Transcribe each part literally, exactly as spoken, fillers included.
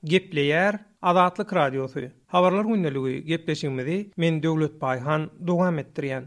Gepleýär Azatlyk Radiosy. Habarlar gündeligi gepleşigimizi men Döwlet Baýhan dowam etdirýän.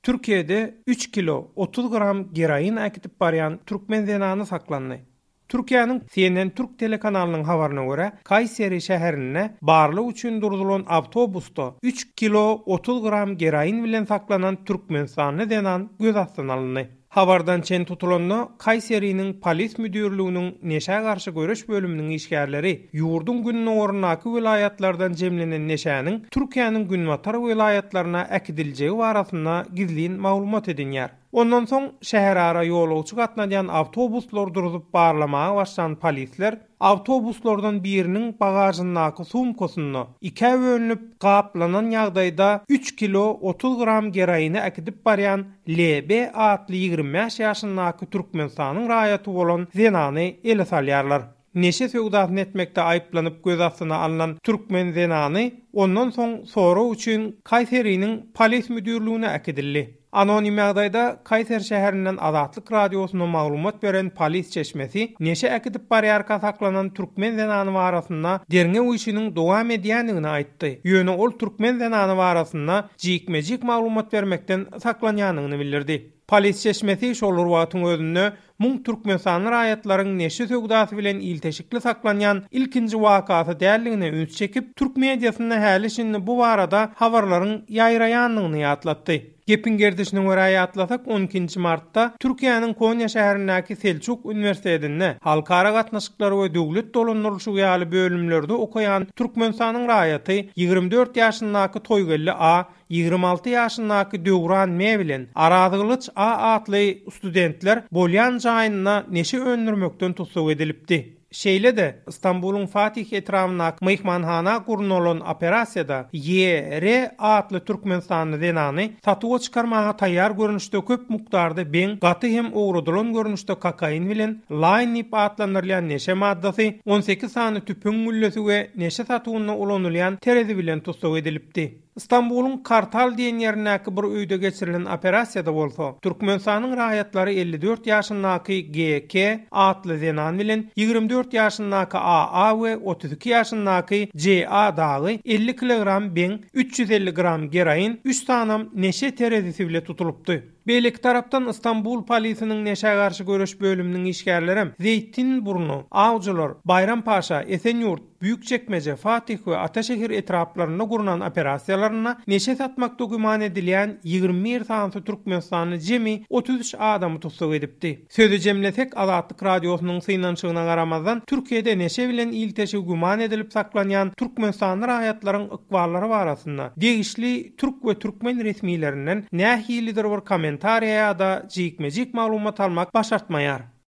Türkiýede üç kilo otuz gram geroin äkitip barýan türkmen zenany saklandy. Türkiýäniň C N N Türk telekanalynyň habaryna görä, Kayseri şäherinde barlyk üçin durdulan awtobusda üç kilo otuz gram geroin bilen saklanan Türkmenistanly zenan göz astyna alyndy. Habardan çen tutulanda Kayseriniň polis müdürlüginiň neşä garşy göreş bölüminiň işgärleri ýurduň gündogaryndaky welaýatlardan jemlenen neşäniň Türkiýäniň günbatar welaýatlaryna äkidiljegi barasynda gizlin maglumat edinýär. Ondan soň şäherara ýolagçy gatnadýan awtobuslar durzup barlamaga başlan polisler awtobuslardan biriniň bagajyndaky sumkasynda ikä bölünip gaplanan ýagdaýda üç kilo otuz gram geroini äkidip barýan L B atly ýigrimi bäş ýaşyndaky Türkmenistanyň raýaty bolan zenany ele salýarlar. Neşe söwdasyny etmekde aýyplanyp göz astyna alnan türkmen zenany ondan soň sorag üçin Kaýseriniň polis müdürlügine äkidildi. Anonim ýagdaýda Kaýser şäherinden Azatlyk Radiosyna maglumat beren polis çeşmesi neşe äkidip barýarka saklanan türkmen zenany barasynda derňew işiniň dowam edýändigini aýtdy. Ýöne ol türkmen zenany barasynda jikme-jik maglumat bermekden saklanýandygyny bildirdi. Polis çeşmesi şol wagtyň özünde muň Türkmenistanly raýatlaryň neşe söwdasy bilen ilteşikli saklanýan ilkinji wakasy däldigine üns çekip, türk mediasynda häli şindi bu barada habarlaryň ýaýraýandygyny ýatlatdy. Gepin gerdişine görä ýatlasak, on ikinji martda Türkiýäniň Konýa şäherindäki Selçuk Üniversitetinde halkara gatnaşyklary we döwlet dolandyrylyşy ýaly bölümlerde okaýan Türkmenistanyň raýaty ýigrimi dört ýaşyndaky Toýgeldi A, ýigrimi alty ýaşyndaky Döwran M bilen Arazgylyç A atly studentler bolýan jaýynda neşe öndürmekden tussag edilipdi. Şeýle-de Istanbulyň Fatih etrabyndaky myhmanhana gurnalan operasiýada Y R atly Türkmenistanly zenany satuwa çykarmaga taýýar görnüşde köp mukdarda beň, gaty hem owradylan görnüşde kokain bilen laýn diýip atlandyrylýan neşe maddasy, on sekiz sany tüpüň güllesi we neşe satuwynda ulanylýan terezi bilen tussag edilipdi. Istanbulyň Kartal diýen ýerindäki bir öýde geçirilen operasiýada bolsa, Türkmenistanyň raýatlary elli dört ýaşyndaky G K atly zenan bilen ýigrimi dört ýaşyndaky A A we otuz iki ýaşyndaky C A dagy elli kilogram beň, üç ýüz elli gram geroin, üç sanam neşe terezisi bile tutulypdy. Beýleki tarapdan Istanbul polisiniň neşä garşy göreş bölüminiň işgärleri Zeytinburnu, Awjylar, Bayrampaşa, Esenyurt, Büyükçekmece, Fatih we Ataşehir etraplarynda gurnan operasiýalarynda neşe satmakda güman edilýän ýigrimi bir sany Türkmenistanly jemi otuz üç adamy tussag edipdi. Sözi jemlesek, Azatlyk Radiosynyň synanyşygyna garamazdan Türkiýede neşe bilen ilteşigi güman edilip saklanýan Türkmenistanly raýatlaryň ykballary barasynda degişli türk we türkmen resmilerinden nähilidir bir kommentariýa ýa-da jikme-jik maglumat almak başartmaýar.